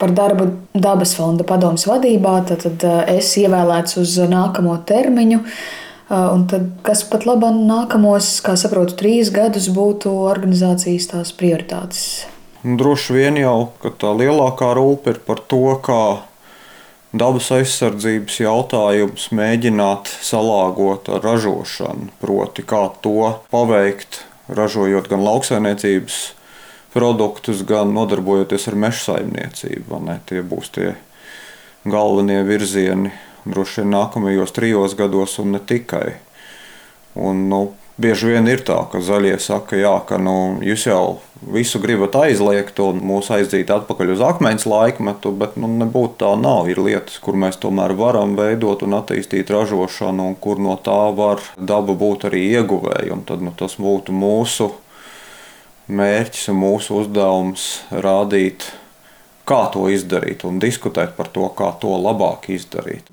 par darbu Dabas fonda padomes vadībā. Tad es ievēlēts uz nākamo termiņu. Un tad, kas pat labāk nākamos, kā saprotu, 3 gadus būtu organizācijas tās prioritātes? Droši vien jau, ka tā lielākā rūpe ir par to, kā dabas aizsardzības jautājums mēģināt salāgot ar ražošanu. Proti, kā to paveikt, ražojot gan lauksaimniecības produktus, gan nodarbojoties ar meža saimniecību. Tie būs tie galvenie virzieni droši vien nākamajos 3 gados un ne tikai. Un, bieži vien ir tā, ka zaļie saka, jā, ka jūs jau visu gribat aizliegt un mūs aizdīt atpakaļ uz akmens laikmetu, bet nebūtu tā nav. Ir lietas, kur mēs tomēr varam veidot un attīstīt ražošanu, un kur no tā var daba būt arī ieguvēja. Un tad tas būtu mūsu mērķis un mūsu uzdevums rādīt, kā to izdarīt un diskutēt par to, kā to labāk izdarīt.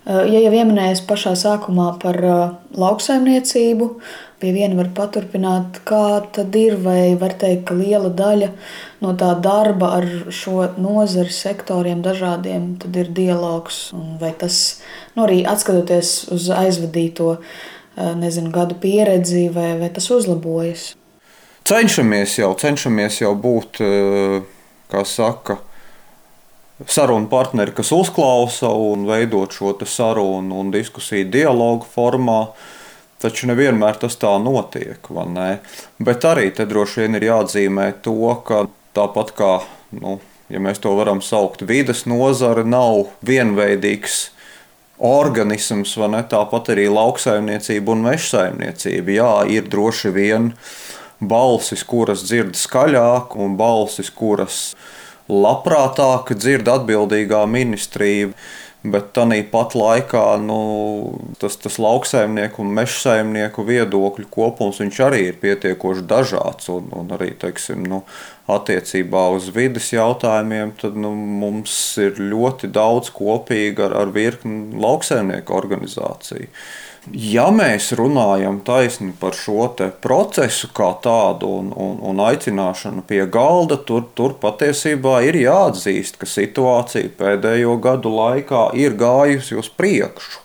Ja jau ieminējis pašā sākumā par lauksaimniecību, pie viena var paturpināt, kā tad ir, vai var teikt, ka liela daļa no tā darba ar šo nozares sektoriem dažādiem tad ir dialogs, un vai tas, arī atskatoties uz aizvadīto, gadu pieredzi, vai tas uzlabojas? Cenšamies jau būt, kā saka, sarunu partneri, kas uzklausa un veidot šo sarunu un diskusiju dialogu formā, taču nevienmēr tas tā notiek, vai ne? Bet arī te droši vien ir jāatzīmē to, ka tāpat kā, ja mēs to varam saukt, vides nozare nav vienveidīgs organisms, vai ne? Tāpat arī lauksaimniecība un meža saimniecība. Jā, ir droši vien balsis, kuras dzird skaļāk, un balsis, kuras labprātāk dzird atbildīgā ministrija, bet tāpat laikā tas lauksaimnieku un meža saimnieku viedokļu kopums arī ir pietiekoši dažāds. Un arī, attiecībā uz vides jautājumiem, tad mums ir ļoti daudz kopīga ar virkni lauksaimnieku organizāciju. Ja mēs runājam taisni par šo procesu kā tādu un aicināšanu pie galda, tur patiesībā ir jāatzīst, ka situācija pēdējo gadu laikā ir gājusi uz priekšu.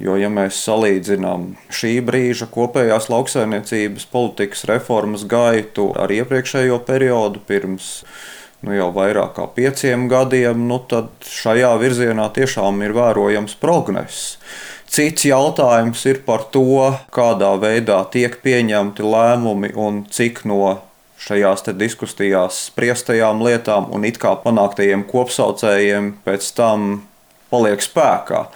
Jo, ja mēs salīdzinām šī brīža kopējās lauksaimniecības politikas reformas gaitu ar iepriekšējo periodu pirms jau vairāk kā 5 gadiem, tad šajā virzienā tiešām ir vērojams progress. Cits jautājums ir par to, kādā veidā tiek pieņemti lēmumi un cik no šajās diskusijās spriestajām lietām un it kā panāktajiem kopsaucējiem pēc tam paliek spēkā.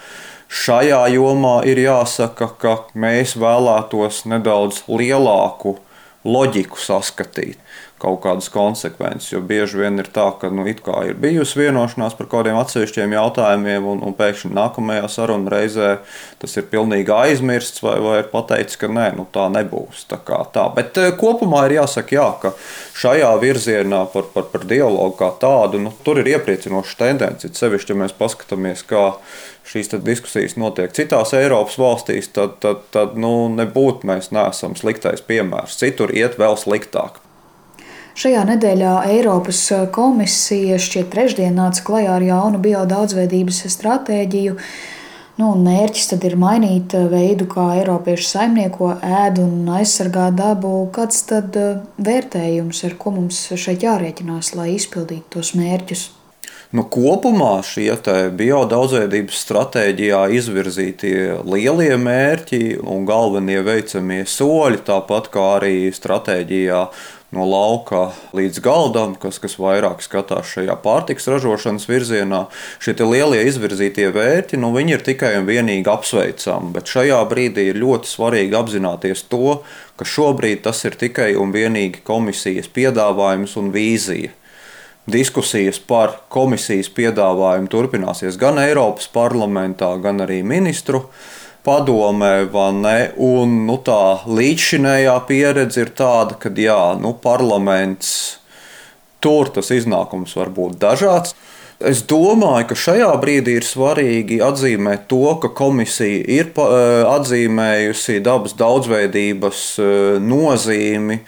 Šajā jomā ir jāsaka, ka mēs vēlētos nedaudz lielāku loģiku saskatīt, kaut kādas konsekvences, jo bieži vien ir tā, ka it kā ir bijusi vienošanās par kādiem atsevišķiem jautājumiem, un pēkšņi nākamajā sarunu reizē tas ir pilnīgi aizmirsts vai ir pateicis, ka nē, tā nebūs. Tā. Bet kopumā ir jāsaka, jā, ka šajā virzienā par dialogu kā tādu, tur ir iepriecinoša tendence. Sevišķi, ja mēs paskatāmies, kā šīs diskusijas notiek citās Eiropas valstīs, tad nebūtu mēs neesam sliktais piemērs. Citur iet vēl sliktāk. Šajā nedēļā Eiropas komisija šķiet trešdien nāca klajā ar jaunu biodaudzveidības stratēģiju. Mērķis tad ir mainīt veidu, kā eiropieši saimnieko, ēd un aizsargā dabu. Kāds tad vērtējums, ar ko mums šeit jārēķinās, lai izpildītu tos mērķus? Kopumā šie biodaudzveidības stratēģijā izvirzītie lielie mērķi un galvenie veicamie soļi, tāpat kā arī stratēģijā no lauka līdz galdam, kas vairāk skatās šajā pārtikas ražošanas virzienā, šie lielie izvirzītie mērķi, viņi ir tikai un vienīgi apsveicami, bet šajā brīdī ir ļoti svarīgi apzināties to, ka šobrīd tas ir tikai un vienīgi komisijas piedāvājums un vīzija. Diskusijas par komisijas piedāvājumu turpināsies gan Eiropas parlamentā, gan arī ministru padomē, un tā līdzšinējā pieredze ir tāda, ka parlaments tur tas iznākums var būt dažāds. Es domāju, ka šajā brīdī ir svarīgi atzīmēt to, ka komisija ir atzīmējusi dabas daudzveidības nozīmi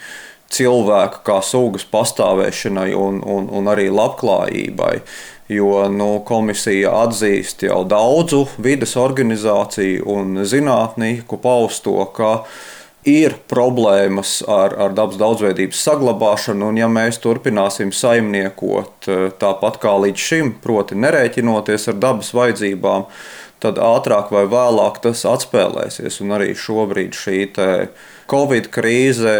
cilvēka kā sugas pastāvēšanai un arī labklājībai. Jo komisija atzīst jau daudzu vides organizāciju un zinātnieku pausto, ka ir problēmas ar dabas daudzveidības saglabāšanu, un ja mēs turpināsim saimniekot tāpat kā līdz šim, proti nerēķinoties ar dabas vajadzībām, tad ātrāk vai vēlāk tas atspēlēsies. Un arī šobrīd šī Covid krīze,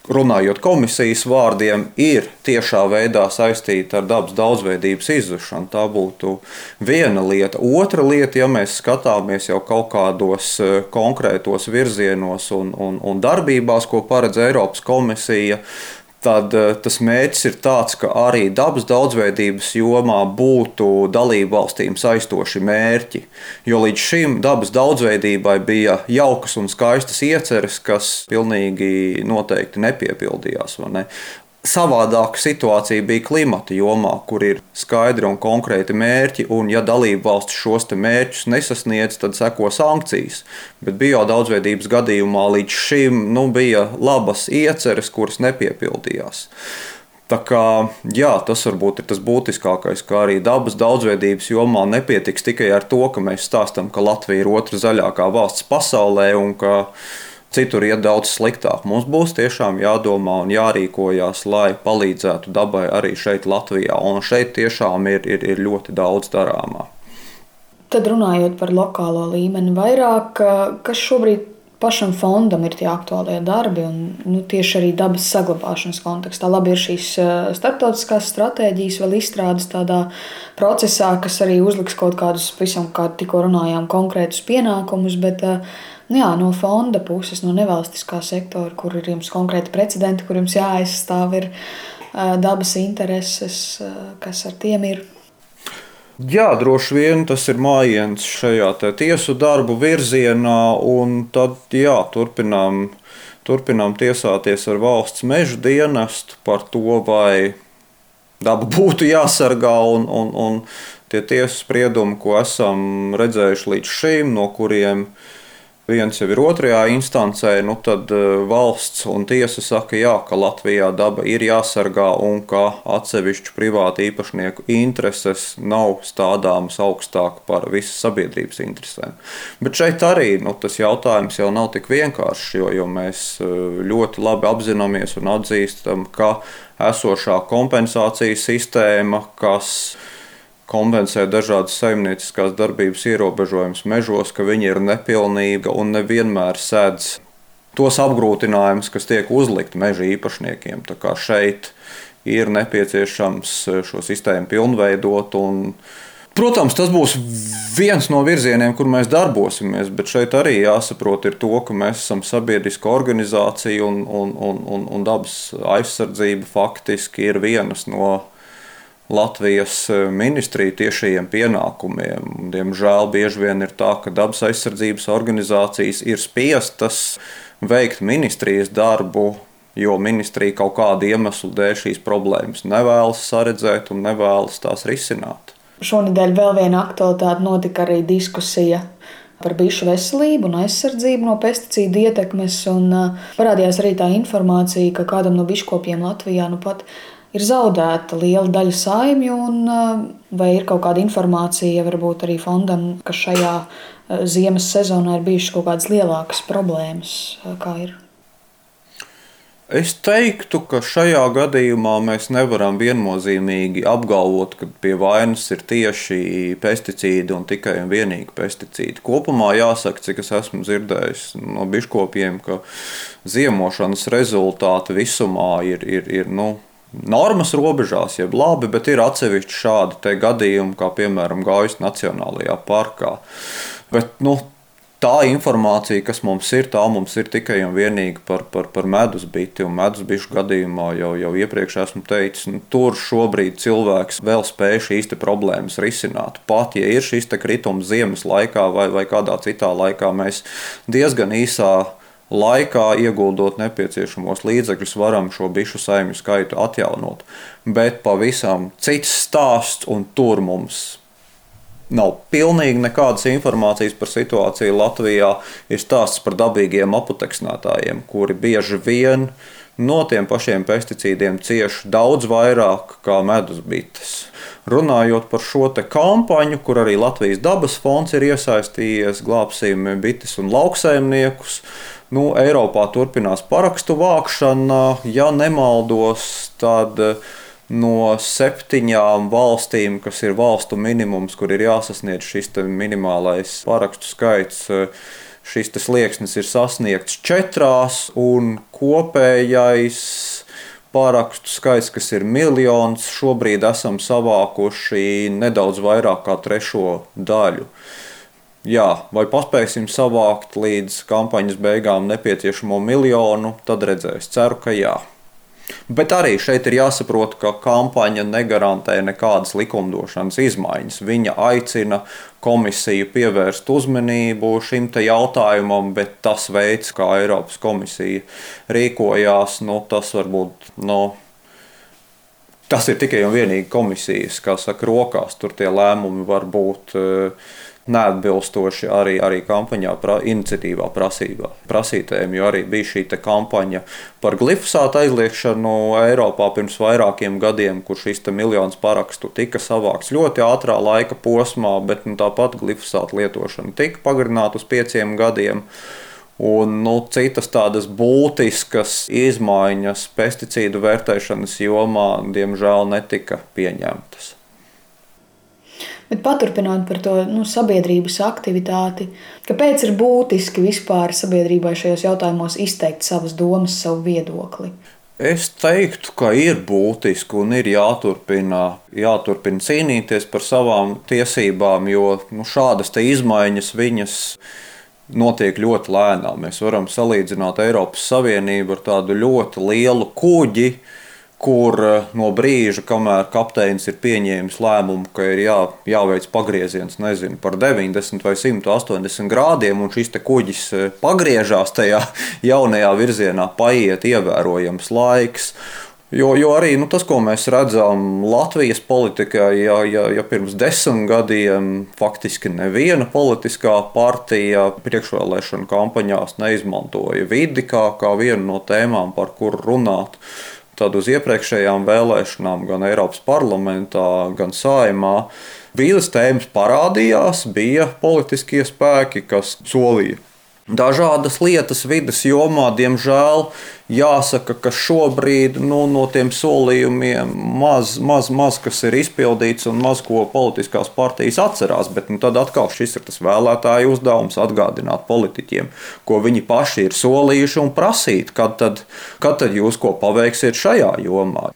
runājot komisijas vārdiem, ir tiešā veidā saistīta ar dabas daudzveidības izzušanu. Tā būtu viena lieta. Otra lieta, ja mēs skatāmies jau kaut kādos konkrētos virzienos un darbībās, ko paredz Eiropas komisija, tad tas mērķis ir tāds, ka arī dabas daudzveidības jomā būtu dalību valstīm saistoši mērķi. Jo līdz šim dabas daudzveidībai bija jaukas un skaistas ieceres, kas pilnīgi noteikti nepiepildījās. Vai ne? Savādāka situācija bija klimata jomā, kur ir skaidri un konkrēti mērķi, un ja dalību valsts šos mērķus nesasniedz, tad seko sankcijas. Bet biodaudzveidības gadījumā līdz šim bija labas ieceres, kuras nepiepildījās. Tā kā, jā, tas varbūt ir tas būtiskākais, ka arī dabas daudzveidības jomā nepietiks tikai ar to, ka mēs stāstam, ka Latvija ir otra zaļākā valsts pasaulē un ka citur iet daudz sliktāk. Mums būs tiešām jādomā un jārīkojās, lai palīdzētu dabai arī šeit Latvijā. Un šeit tiešām ir ļoti daudz darāmā. Tad runājot par lokālo līmeni vairāk, kas šobrīd pašam fondam ir tie aktuālie darbi un tieši arī dabas saglabāšanas kontekstā. Labi ir šīs starptautiskās stratēģijas vēl izstrādes tādā procesā, kas arī uzliks kaut kādus, visam, kā tikko runājām, konkrētus pienākumus, bet no fonda puses, no nevalstiskā sektora, kur ir jums konkrēti precedenti, kur jums jāaizstāv ir dabas intereses, kas ar tiem ir? Jā, droši vien tas ir mājiens šajā tiesu darbu virzienā, un tad turpinām tiesāties ar valsts meža dienestu par to, vai daba būtu jāsargā, un tie tiesas spriedumi, ko esam redzējuši līdz šim, no kuriem viens jau ir otrajā instancē, tad valsts un tiesa saka, jā, ka Latvijā daba ir jāsargā un ka atsevišķu privātu īpašnieku intereses nav stādāmas augstāk par visas sabiedrības interesēm. Bet šeit arī tas jautājums jau nav tik vienkāršs, jo mēs ļoti labi apzināmies un atzīstam, ka esošā kompensācijas sistēma, kas kompensē dažādas saimnieciskās darbības ierobežojumus mežos, ka viņi ir nepilnīga un nevienmēr sēdz tos apgrūtinājumus, kas tiek uzlikti meža īpašniekiem. Tā kā šeit ir nepieciešams šo sistēmu pilnveidot. Protams, tas būs viens no virzieniem, kur mēs darbosimies, bet šeit arī jāsaprot ir to, ka mēs esam sabiedriska organizācija un dabas aizsardzība faktiski ir vienas no Latvijas ministriju tiešajiem pienākumiem. Diemžēl bieži vien ir tā, ka dabas aizsardzības organizācijas ir spiestas veikt ministrijas darbu, jo ministrija kaut kādu iemeslu dēļ šīs problēmas nevēlas saredzēt un nevēlas tās risināt. Šonedēļ vēl viena aktualitāte, notika arī diskusija par bišu veselību un aizsardzību no pesticīdu ietekmes, un parādījās arī tā informācija, ka kādam no biškopiem Latvijā pat ir zaudēta liela daļa saimju, un vai ir kaut kāda informācija varbūt arī fondam, ka šajā ziemas sezonā ir bijušas kaut kādas lielākas problēmas, kā ir? Es teiktu, ka šajā gadījumā mēs nevaram viennozīmīgi apgalvot, ka pie vainas ir tieši pesticīdi un tikai un vienīgi pesticīdi. Kopumā jāsaka, cik es esmu dzirdējis no biškopiem, ka ziemošanas rezultāti visumā ir normas robežās, jeb labi, bet ir atsevišķi šādi gadījumi, kā piemēram Gaujas Nacionālajā parkā. Bet tā informācija, kas mums ir tikai un vienīgi par medusbiti, un medusbišu gadījumā jau iepriekš esmu teicis, tur šobrīd cilvēks vēl spēj šīs problēmas risināt. Pat, ja ir šīs kritums ziemas laikā vai kādā citā laikā, mēs diezgan īsā laikā, ieguldot nepieciešamos līdzekļus, varam šo bišu saimju skaitu atjaunot. Bet pavisam cits stāsts, un tur mums nav pilnīgi nekādas informācijas par situāciju Latvijā, ir stāsts par dabīgiem aputeksnētājiem, kuri bieži vien no tiem pašiem pesticīdiem cieš daudz vairāk kā medusbites. Runājot par šo kampaņu, kur arī Latvijas dabas fonds ir iesaistījies, glābsim bites un lauksaimniekus. Eiropā turpinās parakstu vākšana. Ja nemaldos, tad no 7 valstīm, kas ir valstu minimums, kur ir jāsasniedz šis minimālais parakstu skaits, šis slieksnis ir sasniegts 4, un kopējais parakstu skaits, kas ir 1 miljons, šobrīd esam savākuši nedaudz vairāk kā 1/3 daļu. Jā, vai paspēsim savākt līdz kampaņas beigām nepieciešamo 1 miljonu, tad redzēs. Ceru, ka jā. Bet arī šeit ir jāsaprot, ka kampaņa negarantē nekādas likumdošanas izmaiņas. Viņa aicina komisiju pievērst uzmanību šim jautājumam, bet tas veids, kā Eiropas komisija rīkojās, tas varbūt tas ir tikai un vienīgi komisijas, rokās. Tur tie lēmumi var būt neatbilstoši arī kampaņā, iniciatīvā prasītējiem, jo arī bija šī kampaņa par glifosātu aizliegšanu Eiropā pirms vairākiem gadiem, kur šis 1 miljons parakstu tika savākts ļoti ātrā laika posmā, bet tāpat glifosāta lietošana tika pagarināta uz 5 gadiem. Un citas tādas būtiskas izmaiņas pesticīdu vērtēšanas jomā, diemžēl, netika pieņemtas. Bet paturpinot par to sabiedrības aktivitāti, kāpēc ir būtiski vispār sabiedrībai šajos jautājumos izteikt savas domas, savu viedokli? Es teiktu, ka ir būtiski un ir jāturpina cīnīties par savām tiesībām, jo šādas izmaiņas viņas notiek ļoti lēnām. Mēs varam salīdzināt Eiropas Savienību ar tādu ļoti lielu kuģi, kur no brīža, kamēr kapteinis ir pieņēmis lēmumu, ka ir jāveic pagrieziens par 90 vai 180 grādiem, un šis kuģis pagriežās tajā jaunajā virzienā, paiet ievērojams laiks. Jo arī tas, ko mēs redzam Latvijas politikā, ja pirms 10 gadiem faktiski neviena politiskā partija priekšvēlēšanu kampaņās neizmantoja vidi kā vienu no tēmām, par kuru runāt, tad uz iepriekšējām vēlēšanām gan Eiropas parlamentā, gan Saeimā vīdes tēmas parādījās, bija politiskie spēki, kas solīja dažādas lietas vides jomā. Diemžēl jāsaka, ka šobrīd no tiem solījumiem maz kas ir izpildīts un maz ko politiskās partijas atcerās. Bet tad atkal šis ir tas vēlētāju uzdevums atgādināt politiķiem, ko viņi paši ir solījuši un prasīt, kad tad jūs ko paveiksiet šajā jomā.